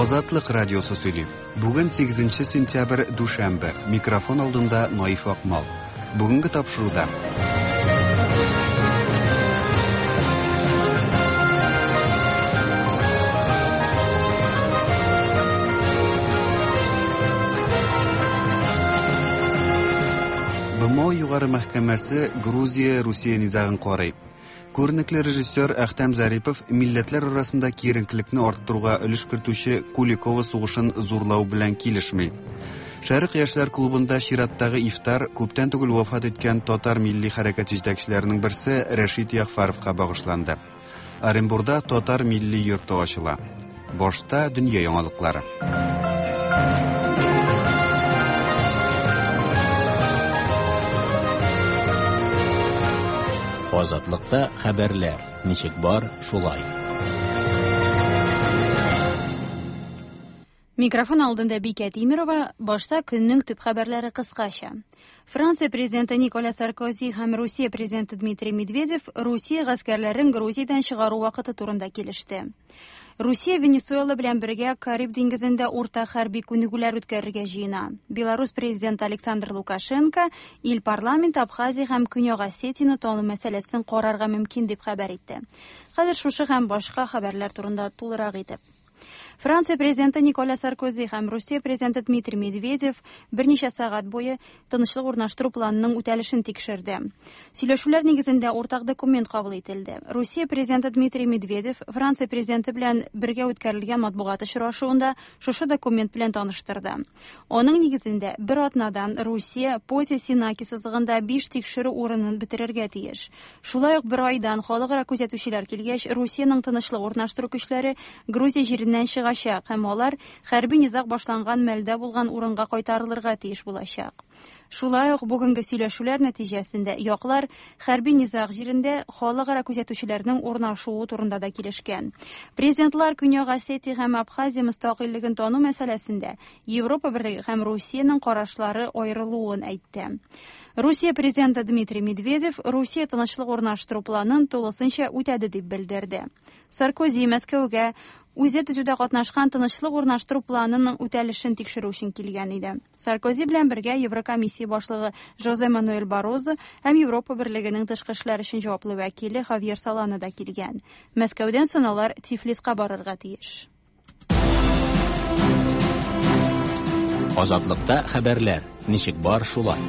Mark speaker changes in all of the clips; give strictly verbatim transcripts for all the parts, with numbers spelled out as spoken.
Speaker 1: Азатлык радиосы сөйли. Бүген сигезенче сентябрь, дүшәмбе. Микрофон алдында Наиф Акмал. Бүгенге тапшыруда. Б М О Югары мәхкәмәсе Грузия-Русия низагын карый. Күренекле режиссер Әхтәм Зарипов милләтләр арасында киеренкелекне арттыруга өлеш кертүче Куликово сугышын зурлау белән килешми. Шәрык яшьләр клубында чираттагы ифтар күптән түгел вафат иткән татар милли хәрәкәт җитәкчеләренең берсе Рәшит Ягъфәровка багышланды. Оренбурда татар милли йорты ачыла. Башта дөнья яңалыклары.
Speaker 2: Азатлыкта хәбәрләр ничек бар, шулай.
Speaker 3: Микрофон алдында Бикә Тимирова, башта көннең төп хәбәрләре кыскача. Франция президенты Николя Саркози һәм Русия президенты Дмитрий Медведев Русия гаскәрләрен Грузиядән чыгару вакыты турында килеште. Русия Венесуэла белән бергә Кариб диңгезендә урта хәрби күнегүләр үткәрергә җыена. Беларусь президенты Александр Лукашенко ил парламенты Абхазия һәм Көньяк Осетияне тану мәсьәләсен карарга мөмкин дип хәбәр итте. Хәзер шушы һәм башка хәбәрләр турында тулырак итеп. Франция президенты Николя Саркози һәм Русия президенты Дмитрий Медведев берничә сәгать буе тынычлык урнаштыру планының үтәлешен тикшерде. Сөйләшүләр нигезендә уртак документ кабул ителде. Русия президенты Дмитрий Медведев Франция президенты белән бергә үткәрелгән матбугат очрашуында шушы документ белән таныштырды. Аның нигезендә бер атнадан Русия Поти-Сенаки сызыгында биш тикшерү урынын бетерергә тиеш. Шулай ук бер айдан халыкара күзәтүчеләр килгәч, Русиянең тынычлык урнаштыру көчләре Грузия җиреннән чыгачак һәм алар хәрби низаг башланган мәлдә булган урынга кайтарылырга тиеш булачак. Шулай ук бүгенге сөйләшүләр нәтиҗәсендә яклар хәрби низаг җирендә халыкара күзәтүчеләрнең урнашуы турында да килешкән. Президентлар Көньяк Осетия һәм Абхазия мөстәкыйльлеген тану мәсьәләсендә Европа Берлеге һәм Русиянең карашлары аерылуын әйтте. Русия президенты Дмитрий Медведев Русия тынычлык урнаштыру планын тулысынча үтәде дип белдерде. Саркози Мәскәүгә үзе төзүдә катнашкан тынычлык урнаштыру планының үтәлешен тикшерү өчен килгән иде. Саркози белән бергә Еврокомиссия башлыгы Жозе Мануэль Баррозо һәм Европа Берлегенең тышкы эшләр өчен җаваплы вәкиле Хавьер Солана да килгән. Мәскәүдән соң алар Тифлиска барырга тиеш.
Speaker 2: Азатлыкта хәбәрләр ничек бар, шулай.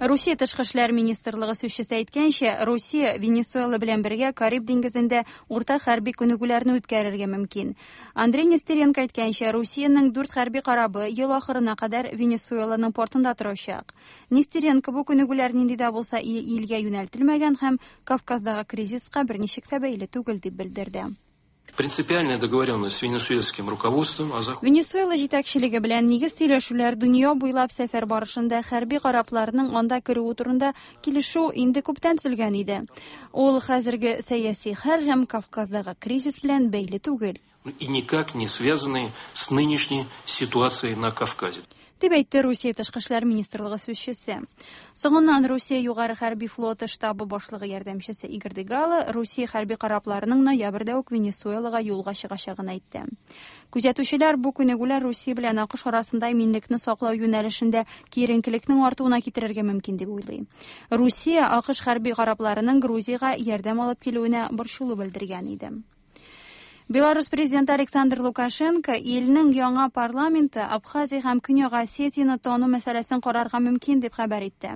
Speaker 3: Русия тышкы эшләр министрлыгы сүзчесе әйткәнчә, Русия Венесуэла белән бергә Кариб диңгезендә урта хәрби күнегүләрне үткәрергә мөмкин. Андрей Нестеренко әйткәнчә, Русиянең дүрт хәрби корабы ел ахырына кадәр Венесуэланың портында торачак. Нестеренко бу күнегүләр нинди дә булса илгә юнәлтелмәгән һәм Кавказдагы кризиска берничек тә бәйле түгел дип белдерде.
Speaker 4: Принципиальная договоренность с венесуэльским руководством о захвате.
Speaker 3: Венесуэла җитәкчелеге белән нигез сөйләшүләр дөнья буйлап сәфәр барышында хәрби корабларның анда керүе турында килешү инде күптән төзелгән иде. Ул хәзерге сәяси хәл һәм Кавказдагы кризис белән бәйле түгел.
Speaker 4: И никак не связанные с нынешней ситуацией на Кавказе.
Speaker 3: Дип әйтте Русия тышкы эшләр министрлыгы сүзчесе. Соңыннан Русия югары хәрби флоты штабы башлыгы ярдәмчесе Игорь Дегало Русия хәрби корабларының ноябрьдә үк Венесуэлага юлга чыгачагын әйтте. Күзәтүчеләр бу күнегүләр Русия белән АКШ арасында иминлекне саклау юнәлешендә киеренкелекнең артуына китерергә мөмкин дип уйлый. Русия АКШ хәрби корабларының Грузиягә ярдәм алып килүенә борчылу белдергән иде. Беларусь президенты Александр Лукашенко илнең яңа парламенты Абхазия һәм Көньяк Осетияне тану мәсьәләсен карарга мөмкин дип хәбәр итте.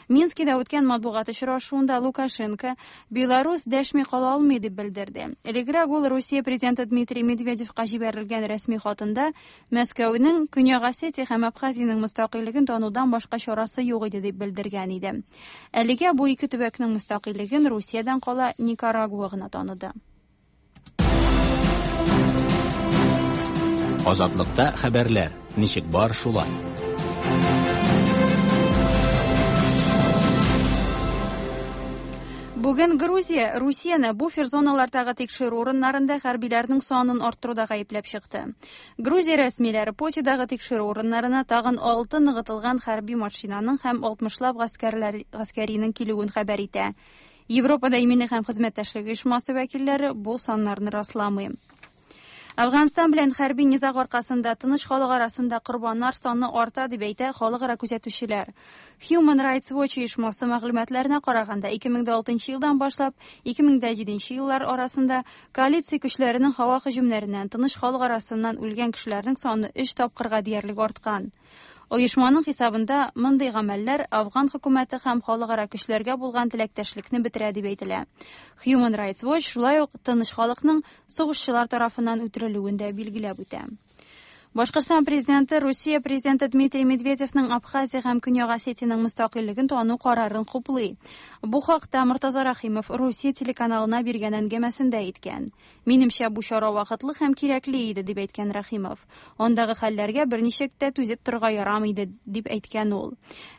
Speaker 3: Минскида үткән матбугат очрашуында Лукашенко Беларусь дәшми кала алмый дип белдерде. Элегрәк ул Русия президенты Дмитрий Медведевка җибәрелгән рәсми хатында Мәскәүнең Көньяк Осетия һәм Абхазиянең мөстәкыйльлеген танудан башка чарасы юк иде дип белдергән иде. Әлегә бу ике төбәкнең мөстәкыйльлеген Русиядән кала Никарагуа гына таныды.
Speaker 2: Азатлыкта хәбәрләр ничек бар, шулай.
Speaker 3: Бүген Грузия Русияне буфер зоналардагы тикшерү урыннарында хәрбиләрнең санын арттыруда гаепләп чыкты. Грузия рәсмиләре Потидагы тикшерү урыннарына тагын алты ныгытылган хәрби машинаның һәм алтмышлап гаскәрләр, гаскәринең килүен хәбәр итә. Европада иминлек һәм хезмәттәшлек оешмасы вәкилләре бу саннарны расламый. Афганстан белән хәрби низаг аркасында тыныч халык арасында корбаннар саны арта дип әйтә халыкара күзәтүчеләр. Human Rights Watch оешмасы мәгълүматларына караганда ике мең дә алтынчы елдан башлап ике мең дә җиденче еллар арасында коалиция көчләренең һава һөҗүмнәреннән тыныч халык арасыннан үлгән кешеләрнең саны өч тапкырга диярлек арткан. Оешманың хисабында мондый гамәлләр Афган хөкүмәте һәм халыкара көчләргә булган теләктәшлекне бетерә дип әйтелә. Human Rights Watch шулай ук тыныч халыкның сугышчылар тарафыннан үтерелүен дә билгеләп үтә. Башкортстан президенты Русия президенты Дмитрий Медведевның Абхазия һәм Көньяк Осетиянең мөстәкыйльлеген тану карарын хуплый. Бу хакта Мортаза Рахимов Русия телеканалына биргән әңгәмәсендә әйткән. Минемчә, бу чара вакытлы һәм кирәкле иде, дип әйткән Рахимов. Андагы хәлләргә берничек тә түзеп торырга ярамый иде, дип әйткән ул.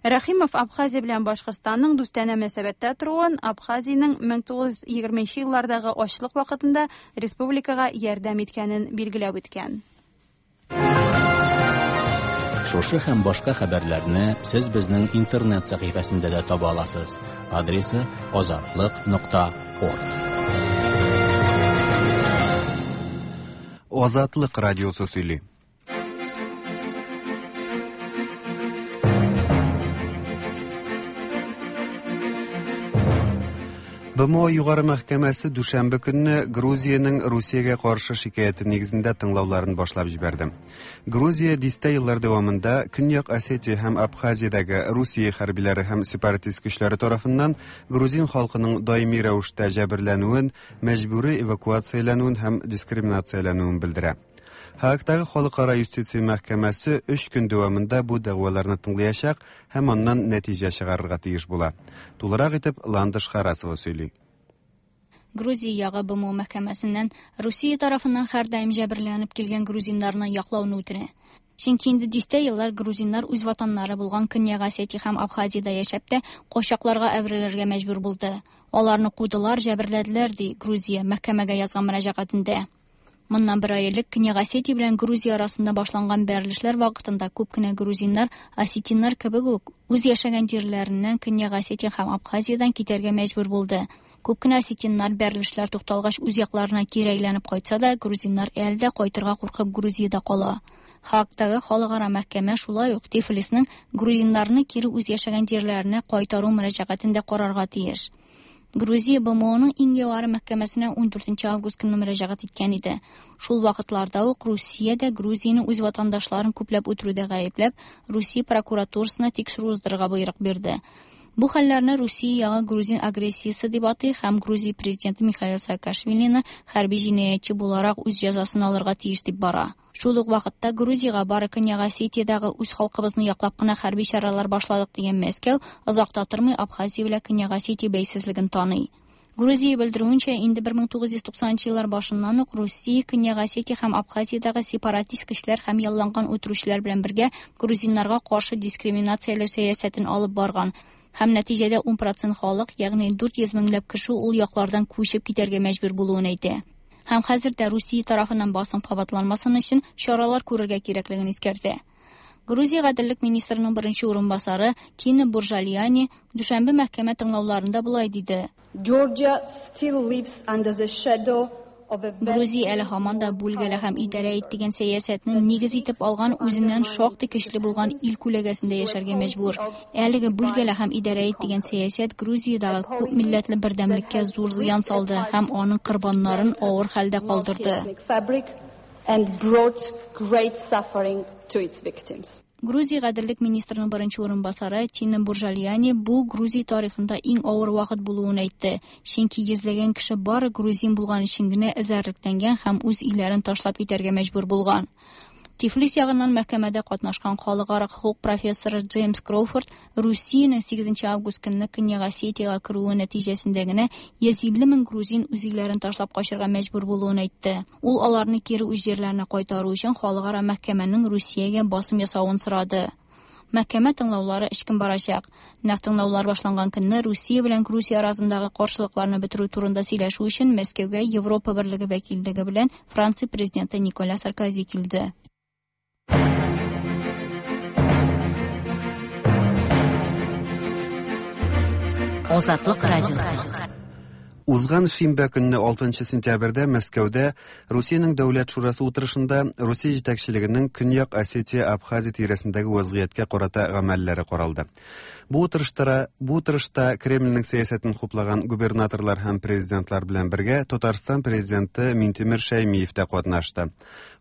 Speaker 3: Рахимов Абхазия белән Башкортстанның дустанә мөнәсәбәттә торуын, Абхазиянең мең тугыз йөз егерменче еллардагы ачлык вакытында республикага ярдәм иткәнен билгеләп үткән.
Speaker 2: Шушы һәм башка хәбәрләрне сез безнең интернет сәхифәсендә дә таба аласыз. Адресы азатлык нокта орг.
Speaker 1: Азатлык радиосы сөйли. Б М О Югары мәхкәмәсе дүшәмбе көнне Грузиянең Русиягә каршы шикаяте нигезендә тыңлауларын башлап җибәрде. Грузия дистә еллар дәвамында Көньяк Осетия һәм Абхазиядәге Русия хәрбиләре һәм сепаратист көчләре тарафыннан грузин халкының даими рәвештә җәберләнүен, мәҗбүри эвакуацияләнүен һәм дискриминацияләнүен белдерә. Һаагтагы Халыкара юстиция мәхкәмәсе өч көн дәвамында бу дәгъваларны тыңлаячак һәм аннан нәтиҗә чыгарырга тиеш була. Тулырак итеп Ландыш Харасова сөйли.
Speaker 5: Грузия ягы Б М О мәхкәмәсеннән Русия тарафыннан һәрдаим җәберләнеп килгән грузиннарны яклауны үтенә. Чөнки инде дистә еллар грузиннар үз ватаннары булган Көньяк Осетия һәм Абхазиядә яшәп тә качакларга әверелергә мәҗбүр булды. Аларны кудылар, җәберләделәр, ди Грузия мәхкәмәгә язган мөрәҗәгатендә. Моннан бер ай элек Көньяк Осетия белән Грузия арасында башланган бәрелешләр вакытында күп кенә грузиннар осетиннар кебек үк үз яшәгән җирләреннән Көньяк Осетия һәм Абхазиядән китәргә мәҗбүр булды. Күп кенә осетиннар бәрелешләр тукталгач үз якларына кире әйләнеп кайтса да, грузиннар әле дә кайтырга куркып Грузиядә кала. Һаагтагы халыкара мәхкәмә шулай ук Тифлисның грузиннарны кире үз яшәгән җирләренә кайтару мөрәҗәгатен дә карарга тиеш. Грузия Б М Оның иң югары мәхкәмәсенә ун дүртенче август көнне мөрәҗәгать иткән иде. Шул вакытларда ук Русия дә Грузияне үз ватандашларын күпләп үтерүдә гаепләп, Русия прокуратурасына тикшерү уздырырга боерык бирде. Бу хәлләрне Русия ягы грузин агрессиясе дип атый һәм Грузия президенты Михаил Саакашвилины хәрби җинаятьче буларак үз җәзасын алырга тиеш дип бара. Шул ук вакытта Грузиягә бары Көньяк Осетиядәге үз халкыбызны яклап кына хәрби чаралар башладык дигән Мәскәү озак та тормый Абхазия белән Көньяк Осетия бәйсезлеген таный. Грузия белдерүенчә, инде бер мең тугыз йөз туксанынчы еллар башыннан ук Русия Көньяк Осетия һәм Абхазиядәге сепаратист көчләр һәм ялланган үтерүчеләр белән бергә грузиннарга каршы дискриминацияләү сәясәтен алып барган. Һәм нәтиҗәдә ун процент халык, ягъни дүрт йөз меңләп кеше ул яклардан күчеп китәргә мәҗбүр булуын әйтә. Һәм хәзер дә Русия тарафыннан басым кабатланмасын өчен чаралар күрергә кирәклеген искәртә. Грузия гаделлек министрының беренче урынбасары Тина Буржалияни дүшәмбе мәхкәмә тыңлауларында болай диде.
Speaker 6: Georgia still lives under the shadow of a very
Speaker 5: Грузия әле һаман да бүлгәле һәм идарә ит дигән сәясәтне нигез итеп алган үзеннән шактый көчле булган ил күләгәсендә яшәргә мәҗбүр. Әлеге бүлгәле һәм идарә ит дигән сәясәт Грузиядәге күп милләтле бердәмлеккә зур зыян салды һәм аның корбаннарын авыр хәлдә калдырды.
Speaker 6: Fabric and brought great suffering to its victims.
Speaker 5: Грузия гаделлек министрының беренче урынбасары Тина Буржалияни бу Грузия тарихында иң авыр вакыт булуын әйтте. Чөнки йөзләгән кеше бары грузин булган өчен генә эзәрлекләнгән һәм үз илләрен ташлап китәргә мәҗбүр булган. Тифлис ягыннан мәхкәмәдә катнашкан халыкара хукук профессоры Джеймс Кроуфорд Русиянең сигезенче август көнне Көньяк Осетиягә керүе нәтиҗәсендә генә йөз илле мең грузин үз илләрен ташлап качырга мәҗбүр булуын әйтте. Ул аларны кире үз җирләренә кайтару өчен халыкара мәхкәмәнең Русиягә басым ясавын сорады. Мәхкәмә тыңлаулары өч көн барачак. Нәкъ тыңлаулар башланган көнне Русия белән Грузия арасындагы каршылыкларны бетерү турында сөйләшү өчен Мәскәүгә Европа Берлеге вәкиллеге белән Франция президенты Николя Саркози килде.
Speaker 7: Азатлык радиосы.
Speaker 1: Узган шимбә көнне алтынчы сентябрьдә Мәскәүдә Русиянең Дәүләт шурасы утырышында Русия җитәкчелегенең Көньяк Осетия Абхазия тирәсендәге вазгыятькә карата гамәлләре каралды. Бу утырышта, бу утырышта Кремльнең сәясәтен хуплаган губернаторлар һәм президентлар белән бергә Татарстан президенты Минтимер Шәймиев тә катнашты.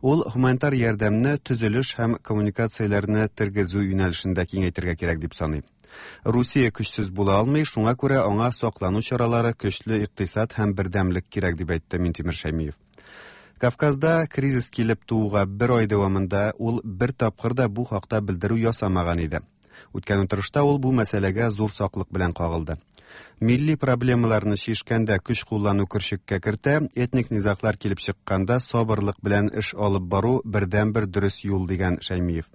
Speaker 1: Ул гуманитар ярдәмне төзелеш һәм коммуникацияләрне тергезү юнәлешендә киңәйтергә кирәк дип саный. Русия көчсез була алмый, шуңа күрә аңа саклану чаралары, көчле икътисад һәм бердәмлек кирәк дип әйтте Минтимер Шәймиев. Кавказда кризис килеп тууга бер ай дәвамында ул бер тапкыр да бу хакта белдерү ясамаган иде. Үткән утырышта ул бу мәсьәләгә зур саклык белән кагылды. Милли проблемаларны чишкәндә көч куллану көршеккә кертә, этник низаглар килеп чыкканда сабырлык белән эш алып бару бердәнбер дөрес юл дигән Шәймиев.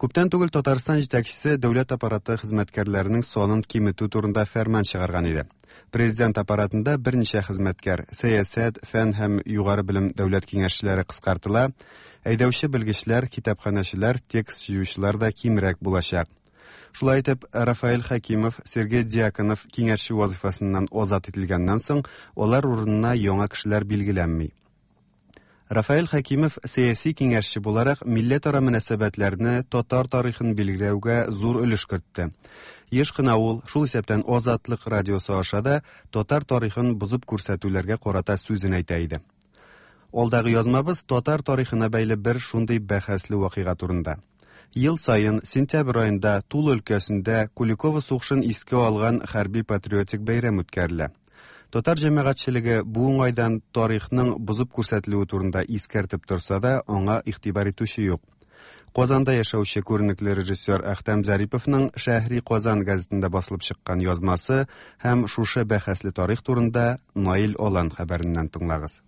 Speaker 1: Күптән түгел Татарстан җитәкчесе дәүләт аппараты хезмәткәрләренең санын киметү турында фәрман чыгарган иде. Президент аппаратында берничә хезмәткәр, сәясәт, фән һәм югары белем дәүләт киңәшчеләре кыскартыла, әйдәүче белгечләр, китапханәчеләр, текст җыючылар да кимрәк булачак. Шулай итеп, Рафаэль Хәкимов, Сергей Дьяконов киңәшче вазифасыннан азат ителгәннән соң, алар урынына яңа кешеләр билгеләнми. Рафаэль Хәкимов сәяси киңәшче буларак милләтара мөнәсәбәтләрне, татар тарихын билгеләүгә зур өлеш кертте. Еш кына ул, шул исәптән Азатлык радиосы аша да татар тарихын бозып күрсәтүләргә карата сүзен әйтә иде. Алдагы язмабыз татар тарихына бәйле бер шундый бәхәсле вакыйга турында. Ел саен сентябрь аенда Тула өлкәсендә Куликово сугышын искә алган хәрби патриотик бәйрәм үткәрелә. Татар җәмәгатьчелеге бу уңайдан тарихның бозып күрсәтелүе турында искәртеп торса да, аңа игътибар итүче юк. Казанда яшәүче күренекле режиссер Әхтәм Зариповның Шәһри Казан газетында басылып чыккан язмасы һәм шушы бәхәсле тарих турында Наил Алан хәбәреннән тыңлагыз.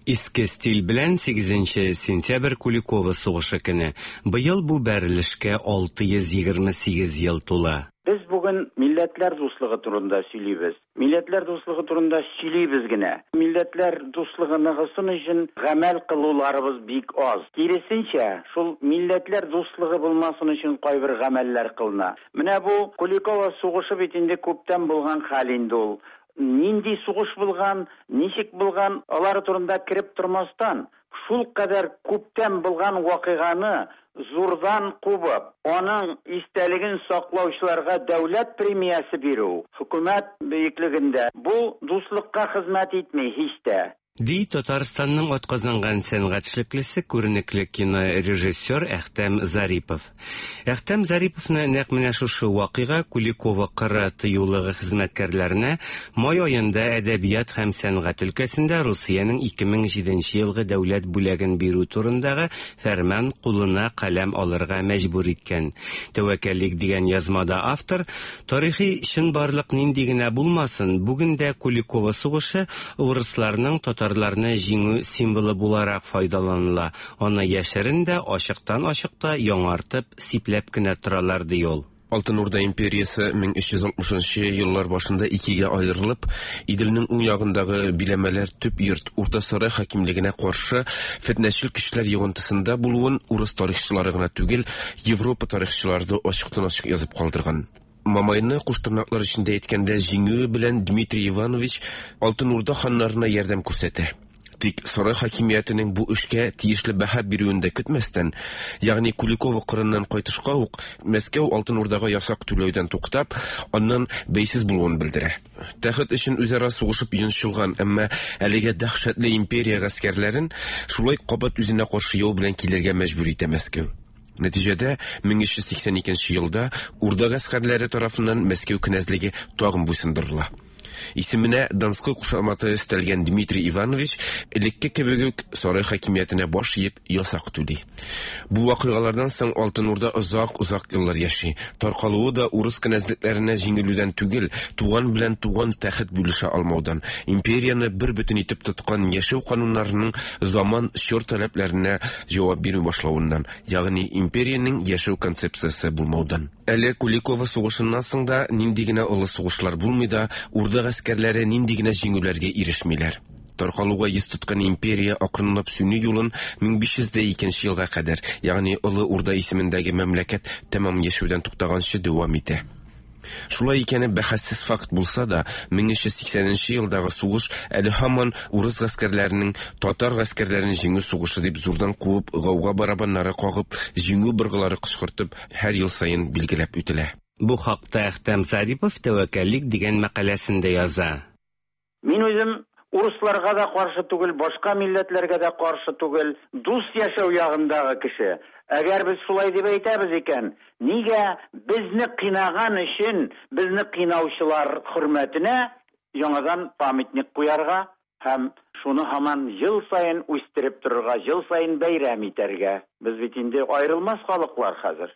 Speaker 7: Иске стиль белән сигезенче сентябрь Куликово сугышы көне. Быел бу бәрелешкә алты йөз егерме сигез ел тула.
Speaker 8: Без бүген милләтләр дуслыгы турында сөйлибез. Милләтләр дуслыгы турында сөйлибез генә. Милләтләр дуслыгы ныгысын өчен гамәл кылуларыбыз бик аз. Киресенчә, шул милләтләр дуслыгы булмасын өчен кайбер гамәлләр кылына. Менә бу Куликово сугышы бит инде күптән булган хәл инде ул. Нинди сугыш булган, ничек булган, алар турында кереп тормастан, шул кадәр күптән булган вакыйганы зурдан кубып, аның истәлеген саклаучыларга дәүләт премиясе бирү, хөкүмәт бөеклегендә бу дуслыкка хезмәт итми һич тә.
Speaker 7: Ди Татарстанның атказанган сәнгать эшлеклесе, күренекле кинорежиссер Әхтәм Зарипов. Әхтәм Зариповны нәкъ менә шушы вакыйга Куликово кыры тыюлыгы хезмәткәрләренә май аенда әдәбият һәм сәнгать өлкәсендә Русиянең ике мең җиденче елгы дәүләт бүләген бирү турындагы фәрман кулына каләм алырга мәҗбүр иткән. Тәвәккәллек дигән язмада автор тарихи чынбарлык нинди генә булмасын, бүген дә Куликово сугышы урысларның татар татарларны җиңү символы буларак файдаланыла. Аны яшерен дә, ачыктан-ачык та яңартып, сипләп кенә торалар, ди ул.
Speaker 9: Алтын Урда империясе мең өч йөз алтмышынчы еллар башында икегә аерылып, Иделнең уң ягындагы биләмәләр төп йорт Урта Сарай хакимлегенә каршы фетнәчел көчләр йогынтысында булуын урыс тарихчылары гына түгел, Европа тарихчылары да ачыктан-ачык язып калдырган. Мамайны куштырнаклар эчендә әйткәндә җиңүе белән Дмитрий Иванович Алтын Урда ханнарына ярдәм күрсәтә. Тик сарай хакимиятенең бу эшкә тиешле бәһа бирүен дә көтмәстән, ягъни Куликово кырыннан кайтышка ук Мәскәү Алтын Урдага ясак түләүдән туктап, аннан бәйсез булуын белдерә. Тәхет өчен үзара сугышып йончылган, әмма әлегә дәһшәтле империя гаскәрләрен шулай кабат үзенә каршы яу белән килергә мәҗбүр итә Мәскәү. Нәтиҗәдә мең өч йөз сиксән икенче елда Урда гаскәрләре тарафыннан Мәскәү кенәзлеге тагын буйсындырыла. Исеменә Донской кушаматы өстәлгән Дмитрий Иванович элекке кебек үк сарай хакимиятенә баш иеп ясак түли. Бу вакыйгалардан соң Алтын Урда озак-озак еллар яши. Таркалуы да урыс кенәзлекләренә җиңелүдән түгел, туган белән туган тәхет бүлешә алмаудан, империяне бер бөтен итеп тоткан яшәү кануннарының заман чор таләпләренә җавап бирми башлавыннан, ягъни империянең яшәү концепциясе булмаудан. Әле Куликово сугышыннан соң да нинди генә олы сугышлар булмый да, Урда гаскәрләре нинди генә җиңүләргә ирешмиләр. Таркалуга йөз тоткан империя акрынлап сүнү юлын мең биш йөз дә икенче елга кадәр, ягъни Олы Урда исемендәге мәмләкәт тәмам яшәүдән туктаганчы дәвам итә. Шулай икәне бәхәссез факт булса да, мең өч йөз сиксәненче елдагы сугыш әле һаман урыс гаскәрләренең татар гаскәрләрен җиңү сугышы дип зурдан куып, гауга барабаннары кагып, җиңү быргылары кычкыртып, һәр ел саен билгеләп үтелә.
Speaker 7: Бу хакта Әхтәм Зарипов «Тәвәккәллек» дигән мәкаләсендә яза.
Speaker 8: Мин үзем урысларга да каршы түгел, башка милләтләргә дә каршы түгел, дус яшәү ягындагы кеше. Әгәр без шулай дип әйтәбез икән, нигә безне кыйнаган өчен, безне кыйнаучылар хөрмәтенә яңадан памятник куярга һәм шуны һаман ел саен үстереп торырга, ел саен бәйрәм итәргә? Без бит инде аерылмас халыклар хәзер.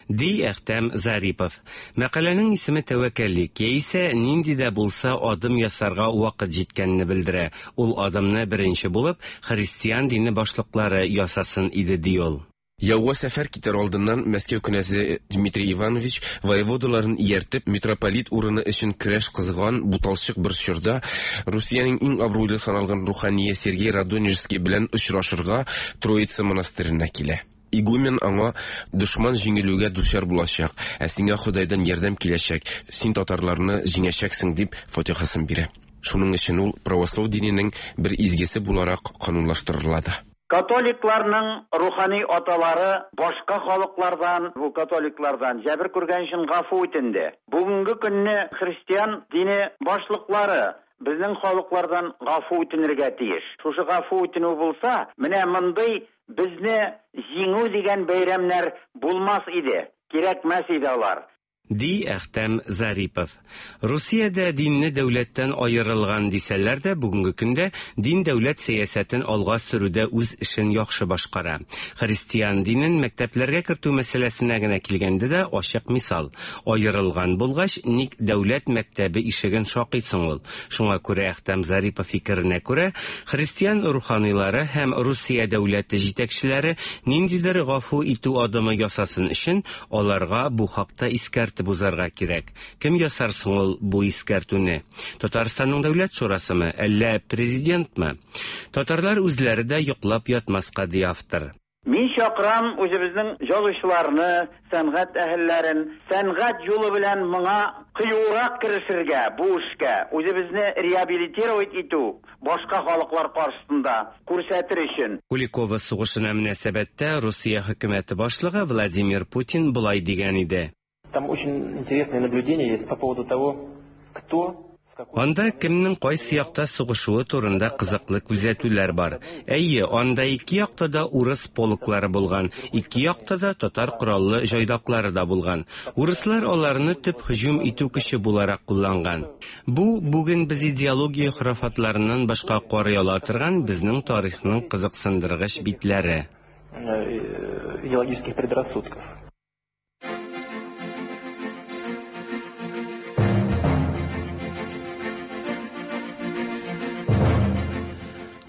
Speaker 7: Ди Әхтәм Зарипов. Мәкаләнең исеме «Тәвәккәллек» яисә нинди дә булса адым ясарга вакыт җиткәнне белдерә. Ул адымны беренче булып христиан дине башлыклары ясасын иде, ди ул.
Speaker 9: Яуга сәфәр китәр алдыннан Мәскәү кнәзе Дмитрий Иванович воеводаларын ияртеп митрополит урыны өчен көрәш кызган буталчык бер чорда Русиянең иң абруйлы саналган рухание Сергей Радонежский белән очрашырга Троица монастырена килә. Игумен аңа дошман җиңелүгә дучар булачак, ә сиңа Ходайдан ярдәм киләчәк, син татарларны җиңәчәксең дип фатихасын бирә. Шуның өчен ул православ диненең бер изгесе буларак канунлаштырыла да.
Speaker 8: Католикларның рухани аталары башка халыклардан, бу католиклардан җәбер күргән өчен гафу үтенде. Бүгенге көнне христиан дине башлыклары безнең халыклардан гафу үтенергә тиеш. Шушы гафу үтенү булса, менә мондый безне җиңү дигән бәйрәмнәр булмас иде, кирәкмәс иде алар.
Speaker 7: Ди Әхтәм Зарипов. Русиядә динне дәүләттән аерылган дисәләр дә, бүгенге көндә дин дәүләт сәясәтен алга сөрүдә үз эшен яхшы башкара. Христиан динен мәктәпләргә кертү мәсьәләсенә генә килгәндә дә ачык мисал. Аерылган булгач, ник дәүләт мәктәбе ишеген шакыйсың ул? Шуңа күрә Әхтәм Зарипов фикеренә күрә, христиан руханилары һәм Русия дәүләте җитәкчеләре ниндидер гафу итү адымы ясасын өчен аларга бу хакта искәртеп узарга кирәк. Кем ясар соң ул бу искәртүне? Татарстанның дәүләт шурасымы, әллә президентмы? Татарлар үзләре дә йоклап ятмаска, ди автор.
Speaker 8: Мин чакырам үзебезнең язучыларны, сәнгать әһелләрен, сәнгать юлы белән моңа кыюрак керешергә, бу эшкә, үзебезне реабилитировать итү, башка халыклар каршысында күрсәтер өчен.
Speaker 7: Куликово сугышына мөнәсәбәттә Русия хөкүмәте башлыгы Владимир Путин болай дигән иде.
Speaker 10: Там очень интересное наблюдение есть по поводу того, кто...
Speaker 7: Анда кемнең кайсы якта сугышуы турында кызыклы күзәтүләр бар. Әйе, анда ике якта да урыс полклары булган, ике якта да татар кораллы җайдаклары да булган. Урыслар аларны төп һөҗүм итү көче буларак кулланган. Бу бүген без идеология хорафатларыннан башка карый ала торган безнең тарихның кызыксындыргыч битләре.
Speaker 10: Идеологических предрассудков.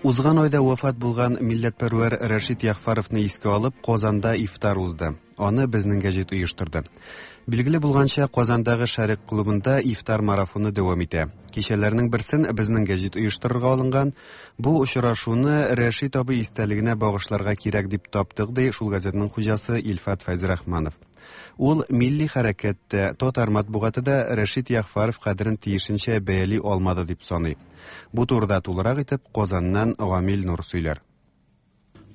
Speaker 1: Узган айда вафат булган милләтпәрвәр Рәшит Ягъфәровны искә алып, Казанда ифтар узды. Аны безнең гәҗит оештырды. Билгеле булганча, Казандагы Шәрык клубында ифтар марафоны дәвам итә. Кичәләрнең берсен безнең гәҗит оештырырга алынган. Бу очрашуны Рәшит абый истәлегенә багышларга кирәк дип таптык, ди шул газетның хуҗасы Илфат Фәйзрахманов. Ул милли хәрәкәттә, татар матбугаты да Рәшит Ягъфәров кадерен тиешенчә бәяли алмады дип саный. Бу турыда тулырак итеп Казаннан Гамил Нур сөйләр.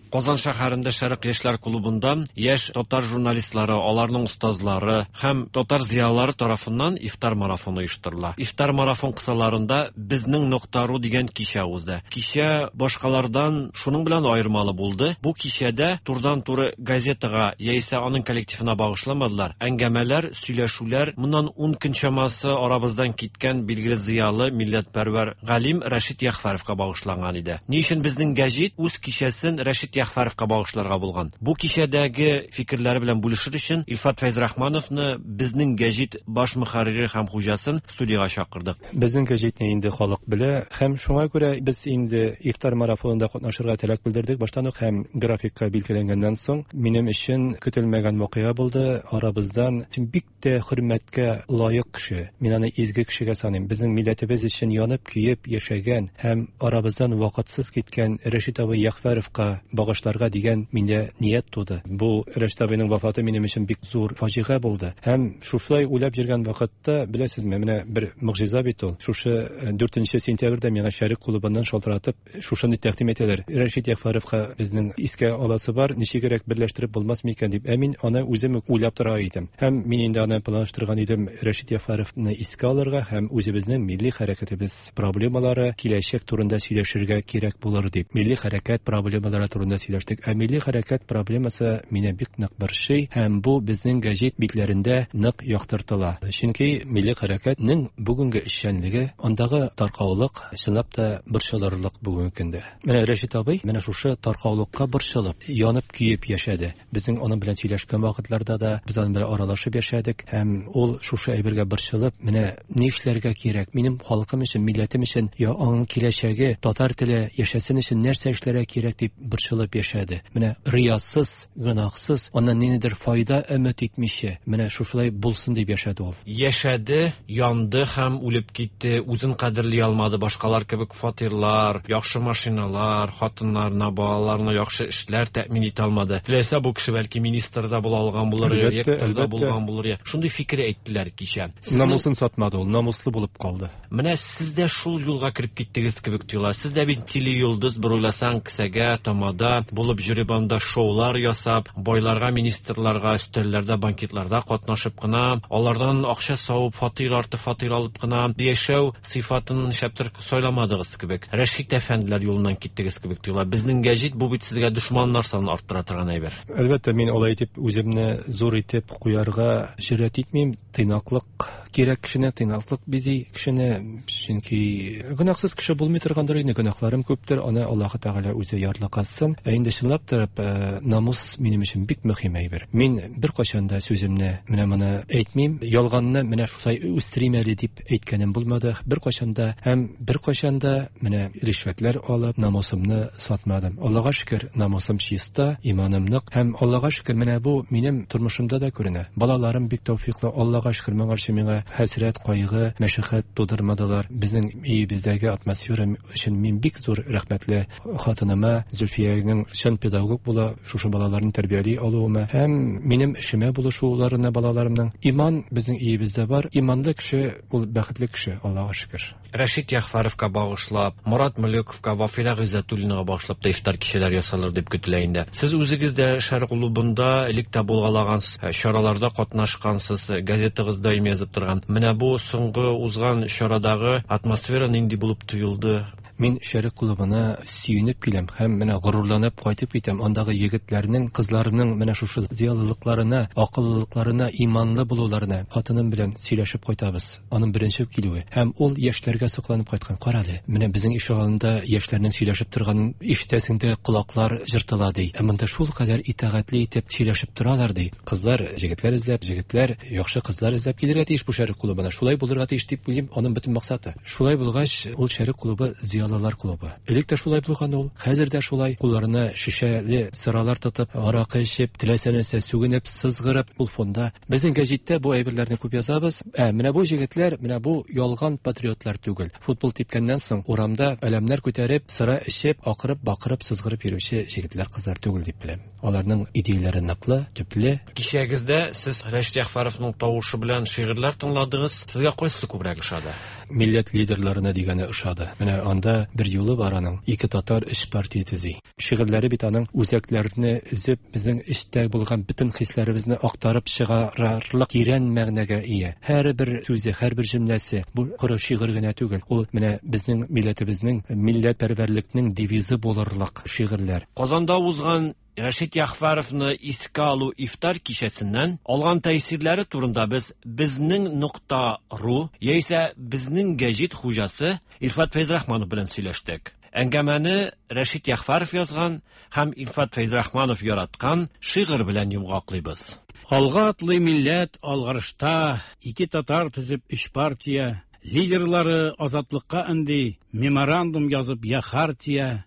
Speaker 11: Казан шәһәрендә Шәрык яшьләр клубында яшь татар журналистлары, аларның остазлары һәм татар зыялылары тарафыннан ифтар марафоны оештырыла. Ифтар марафон кысаларында безнең нокта ру дигән кичә узды. Кичә башкалардан шуның белән аермалы булды. Бу кичәдә турыдан-туры газетага яисә аның коллективына багышламадылар. Әңгәмәләр, сөйләшүләр моннан ун көн чамасы арабыздан киткән билгеле зыялы, милләтпәрвәр галим Рәшит Ягъфәровка багышланган иде. Ни өчен безнең гәҗит үз кичәсен Рәшит Ягъфәровка багышларга булган? Бу кичәдәге фикерләре белән бүлешер өчен Илфат Фәйзрахмановны, безнең гәҗит баш мөхәррире һәм хуҗасын студиягә чакырдык.
Speaker 12: Безнең гәҗитне инде халык белә һәм шуңа күрә без инде ифтар марафонында катнашырга теләк белдердек баштан ук һәм графикка билгеләнгәннән соң минем өчен көтелмәгән вакыйга булды. Арабыздан бик тә хөрмәткә лаек кеше, мин аны изге кешегә саныйм. Безнең милләтебез өчен янып көеп яшәгән һәм арабыздан вакытсыз киткән Рәшит абый Ягъфәровка багышларга дигән миндә ният туды. Бу Рәшит абыйның вафаты минем өчен бик зур фаҗига булды. Һәм шушылай уйлап йөргән вакытта, беләсезме, менә бер могҗиза бит ул. Шушы дүртенче сентябрьдә миңа Шәрык клубыннан шалтыратып, шушыны тәкъдим итәләр. Рәшит Ягъфәровка безнең искә аласы бар, ничегрәк берләштереп булмас микән дип. Ә мин аны үзем үк уйлап тора идем. Һәм мин инде аны планлаштырган идем Рәшит Ягъфәровны искә алырга һәм үзебезнең милли хәрәкәтебез проблемалары киләчәк турында сөйләшергә кирәк булыр дип. Милли хәрәкәт проблемалары турында сөйләштек. Ә милли хәрәкәт проблемасы мине бик нык борчый һәм бу безнең гәҗит битләрендә нык яктыртыла. Чөнки милли хәрәкәтнең бүгенге эшчәнлеге, андагы таркаулык чынлап та борчылырлык бүгенге көндә. Менә Рәшит абый менә шушы таркаулыкка борчылып, янып көеп яшәде. Безнең аның белән сөйләшкән вакытларда да без аның белән аралашып яшәдек һәм ул шушы әйбергә борчылып, менә ни эшләргә кирәк? Минем халкым өчен, милләтем өчен, я аның киләчәге, татар теле яшәсен өчен нәрсә эшләргә кирәк дип борчылып яшәде. Менә риясыз, гөнаһсыз, аннан ниндидер файда өмет итмичә, менә шушылай булсын дип яшәде ул.
Speaker 11: Яшәде, янды һәм үлеп китте, үзен кадерли алмады, башкалар кебек фатирлар, яхшы машиналар, хатыннарына, балаларына яхшы эшләр тәэмин итә алмады. Теләсә бу кеше бәлки министр да була алган булыр, ректор да булган булыр. Шундый фикер әйттеләр кичә.
Speaker 12: Намусын сатмады ул, намуслы булып калды.
Speaker 11: Менә сез дә шул юлга кереп киттегез кебек тоела. Сез дә бит телейолдыз, бер уйласаң, кесәгә, тамада булып йөреп анда шоулар ясап, байларга, министрларга, өстәлләрдә, банкетларда катнашып кына, алардан акча савып, фатир арты фатир алып кына яшәү сыйфатын шәптер сайламадыгыз кебек. Рәшит әфәнделәр юлыннан киттегез кебек тоела. Безнең гәҗит бу бит сезгә дошманнар санын арттыра торган әйбер.
Speaker 12: Әлбәттә, мин алай итеп үземне зур итеп куярга җөрьәт итмим. Тыйнаклык кирәк кешене, тыйнаклык бизи кешене, чөнки гөнаһсыз кеше булмый торгандыр инде, гөнаһларым күптер, аны Аллаһы Тәгалә үзе ярлыкасын. Ә инде чынлап торып, намус минем өчен бик мөһим әйбер. Мин беркайчан да сүземне менә моны әйтмим, ялганны менә шулай үстерим әле дип әйткәнем булмады беркайчан да, һәм беркайчан да менә ришвәтләр алып намусымны сатмадым. Аллаһка шөкер, намусым чиста, иманым нык һәм Аллаһка шөкер, менә бу минем тормышымда да күренә. Балаларым бик тәүфиклы, Аллаһка шөкер, моңарчы миңа хәсрәт, кайгы, мәшәкать тудырмадылар. Безнең өебездәге атмосфера өчен мин бик зур рәхмәтле хатыныма, Зөлфиянең чын педагог була, шушы балаларны тәрбияли алуыма һәм минем эшемә булышуларына балаларымның. Иман безнең өебездә бар. Иманлы кеше ул бәхетле кеше, Аллаһка шөкер.
Speaker 11: Рәшит Ягъфәровка багышлап, Мурат Мөлековка, Вафира Гыйззәтуллинага багышлап та ифтар кичәләр ясалыр дип көтелә инде. Сез үзегез дә Шәрык клубында элек тә булгалагансыз, чараларда катнашкансыз, газетагыз даим язып торган. Менә бу соңгы узган чарадагы атмосфера нинди булып тоелды?
Speaker 12: Мин Шәрык клубына сөенеп киләм һәм менә горурланып кайтып китәм. Андагы егетләрнең, кызларның менә шушы зыялылыкларына, акыллылыкларына, иманлы булуларына хатыным белән сөйләшеп кайтабыз. Аның беренче килүе һәм ул яшьләргә сокланып кайткан. Карале, менә безнең ишегалдында яшьләрнең сөйләшеп торганын ишетәсең дә, колаклар җыртыла ди. Ә монда шул кадәр итагатьле итеп сөйләшеп торалар ди. Кызлар җегетләр эзләп, җегетләр яхшы кызлар эзләп килергә тиеш бу Шәрык клубына. Шулай булырга тиеш дип уйлыйм, аның бөтен максаты. Шулай булгач, ул Шәрык клубы зыялылар клубы. Элек тә шулай булган ул, хәзер дә шулай. Кулларына шешәле сыралар тотып, аракы эчеп, теләсә нәрсә сүгенеп, сызгырып ул фонда. Безнең гәҗиттә бу әйберләрне күп язабыз. Ә менә бу җегетләр, менә бу ялган патриотлар түгел. Футбол типкәннән соң урамда әләмнәр күтәреп, сыра эчеп, акырып, бакырып, сызгырып йөрүче җегетләр, кызлар түгел дип беләм. Аларның идеяләре ныклы, төпле.
Speaker 11: Кичәгездә сез Рәшит Ягъфәровның тавышы белән шигырьләр тыңладыгыз. Сезгә кайсы күбрәк ошады?
Speaker 12: Милләт лидерларына дигәне ошады. Менә анда бер юлы бар аның. Ике татар өч партия төзи. Шигырьләре бит аның үзәкләрне өзеп, безнең эчтә булган бөтен хисләребезне актарып чыгарарлык тирән мәгънәгә ия. Һәрбер сүзе, һәрбер җөмләсе бу коры шигырь генә түгел. Ул менә безнең милләтебезнең, милләтпәрвәрлекнең девизы булырлык шигырьләр.
Speaker 11: Казанда узган Рәшит Ягъфәровны искә алу ифтар кичәсеннән алган тәэсирләре турында без безнең нокта ру яисә безнең гәҗит хуҗасы Илфат Фәйзрахманов белән сөйләштек. Әңгәмәне Рәшит Ягъфәров язган һәм Илфат Фәйзрахманов яраткан шигырь белән йомгаклыйбыз.
Speaker 13: Алга атлый милләт алгарышта, ике татар төзеп өч партия, лидерлары азатлыкка өнди, меморандум язып я хартия,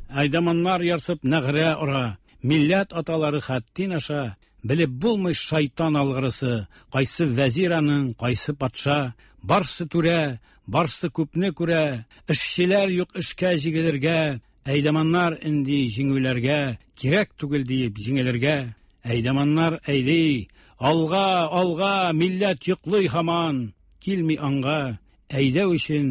Speaker 13: айдаманнар ярсып нәгърә ора, милләт аталары хәттин аша, белеп булмый шайтан алгырысы, кайсы вәзир аның, кайсы патша, барсы түрә, барсы күпне күрә, эшчеләр юк эшкә җигелергә, Әйдаманнар инде җиңүләргә, кирәк түгел диеп җиңелергә. Әйдаманнар әйди, алга, алга, милләт йоклый һаман, килми аңга. Әйдәү өчен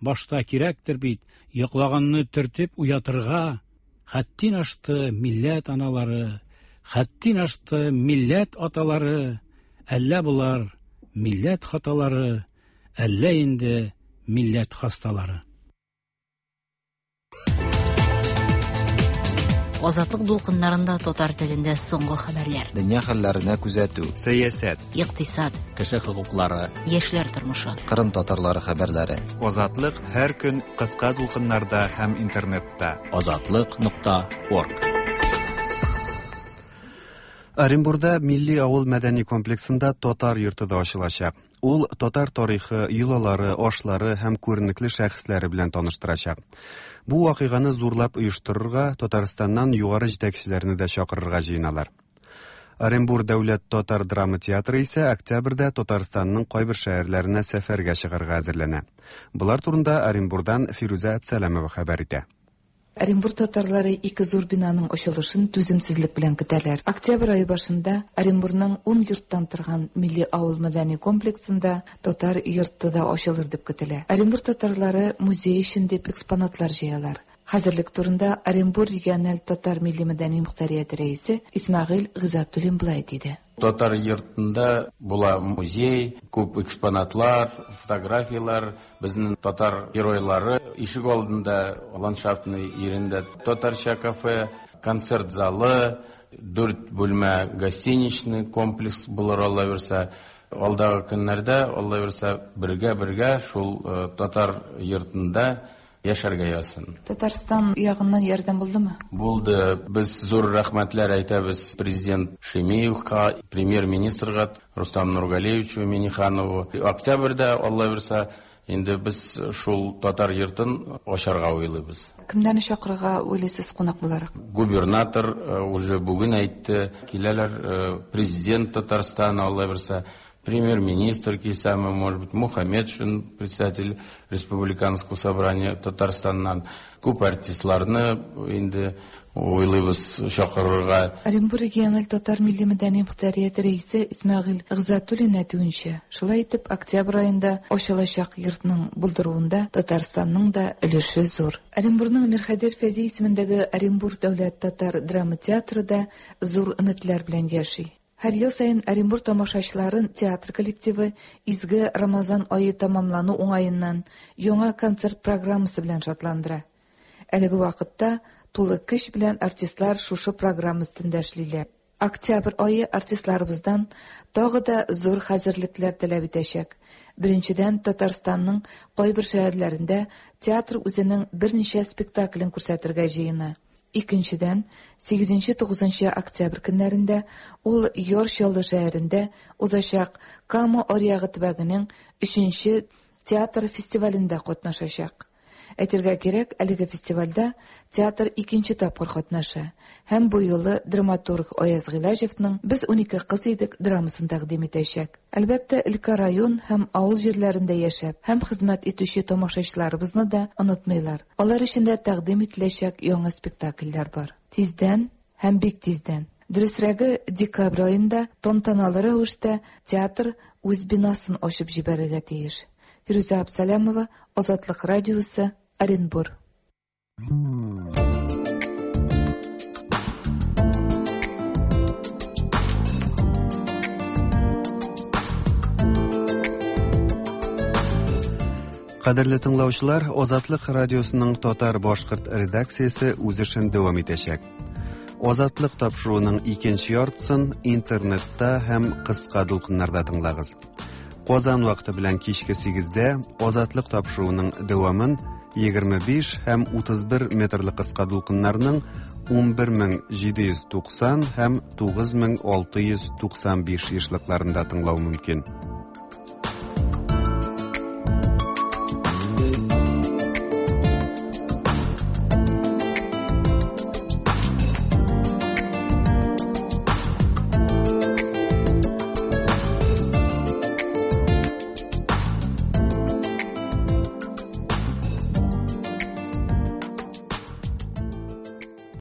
Speaker 13: башта кирәктер бит, йоклаганны төртеп уятырга. Хәттин ашты милләт аналары, хәттин ашты милләт аталары. Әллә болар милләт хаталары, әллә инде милләт хасталары.
Speaker 14: Азатлык дулкыннарында татар телендә соңгы хәбәрләр.
Speaker 15: Дөнья хәлләренә күзәтү.
Speaker 1: Сәясәт.
Speaker 14: Икътисад.
Speaker 2: Кеше хокуклары.
Speaker 14: Яшьләр тормышы.
Speaker 15: Кырым татарлары хәбәрләре.
Speaker 1: Азатлык һәр көн кыска дулкыннарда һәм интернетта.
Speaker 2: Азатлык нокта орг.
Speaker 1: Оренбурда Милли авыл мәдәни комплексында татар йорты да ачылачак. Ул татар тарихы, йолалары, ашлары һәм күренекле шәхесләре белән таныштырачак. Бу вакыйганы зурлап оештырырга Татарстаннан югары җитәкчеләрне дә чакырырга җыеналар. Оренбур дәүләт татар драма театры исә октябрьдә Татарстанның кайбер шәһәрләренә сәфәргә чыгарга әзерләнә. Болар турында Оренбурдан Фирүзә Әбсәләмова хәбәр итә.
Speaker 16: Оренбур татарлары ике зур бинаның ачылышын түземсезлек белән көтәләр. Октябрь айы башында Оренбурның ун йорттан торган милли авыл мәдәни комплексында татар йорты да ачылыр дип көтелә. Оренбур татарлары музей өчен дип экспонатлар җыялар. Хәзерлек турында Оренбур региональ татар милли мәдәни мөхтәрияте рәисе Исмәгыйль Гыйззәтуллин былай диде.
Speaker 17: Татар йортында була музей, күп экспонатлар, фотографиялар, безнең татар геройлары, ишек алдында ландшафтный ирендә татарча кафе, концерт залы, дүрт бүлмә гостиничный комплекс булыр, Алла бирсә. Алдагы көннәрдә, Алла бирсә, бергә-бергә шул татар йортында яшәргә язсын.
Speaker 16: Татарстан ягыннан ярдәм булдымы?
Speaker 17: Булды. Без зур рәхмәтләр әйтәбез президент Шемиевка, премьер-министрга Рустам Нургалиевичу Миниханову. Октябрьдә, Алла бирсә, инде без шул татар йортын ачарга уйлыйбыз.
Speaker 16: Кемнәрне чакырырга уйлыйсыз кунак буларак?
Speaker 17: Губернатор уже бүген әйтте, киләләр президент Татарстана, Алла бирсә, премьер-министр килсәме, может быть, Мухаммедшин, председатель Республиканского собрания Татарстаннан. Күп артистларны инде уйлыйбыз чакырырга.
Speaker 16: Оренбур региональ татар милли мәдәни мөхтәрияте рәисе Исмәгыйль Гыйззәтуллин әйтүенчә, шулай итеп октябрь аенда ачылачак йортның булдыруында Татарстанның да өлеше зур. Оренбурның Мирхәйдәр Фәйзи исемендәге Оренбур дәүләт татар драма театры да зур өметләр белән яши. Һәр ел саен Оренбур тамашачыларын театр коллективы изге Рамазан ае тамамлану уңаеннан яңа концерт программасы белән шатландыра. Әлеге вакытта тулы көч белән артистлар шушы программа өстендә эшлиләр. Октябрь ае артистларыбыздан тагы да зур хәзерлекләр таләп итәчәк. Беренчедән, Татарстанның кайбер шәһәрләрендә театр үзенең берничә спектаклен күрсәтергә җыена. Икенчедән, сигезенче-тугызынчы октябрь көннәрендә ул Яр Чаллы шәһәрендә узачак Кама аръягы төбәгенең өченче театр фестивалендә катнашачак. Әйтергә кирәк, әлеге фестивальдә театр икенче тапкыр катнаша һәм бу юлы драматург Аяз Гыйләҗевның «Без унике кыз идек» драмасын тәкъдим итәчәк. Әлбәттә, өлкә район һәм авыл җирләрендә яшәп һәм хезмәт итүче тамашачыларыбызны да онытмыйлар. Алар өчен дә тәкъдим ителәчәк яңа спектакльләр бар. Тиздән һәм бик тиздән. Дөресрәге, декабрь аенда тантаналы рәвештә театр үз бинасын ачып җибәрергә тиеш. Фирүзә Абсалямова, Азатлык радиосы, Оренбур.
Speaker 1: Кадерле тыңлаучылар, Азатлык радиосының татар-башкорт редакциясе үз эшен дәвам итәчәк. Азатлык тапшыруының икенче яртысын интернетта һәм кыска дулкыннарда тыңлагыз. Казан вакыты белән кичке сигездә Азатлык тапшыруының дәвамын егерме биш һәм утыз бер метрлы кыска дулкыннарның ун бер мең җиде йөз туксан һәм тугыз мең алты йөз туксан биш ешлыкларында тыңлау мөмкин.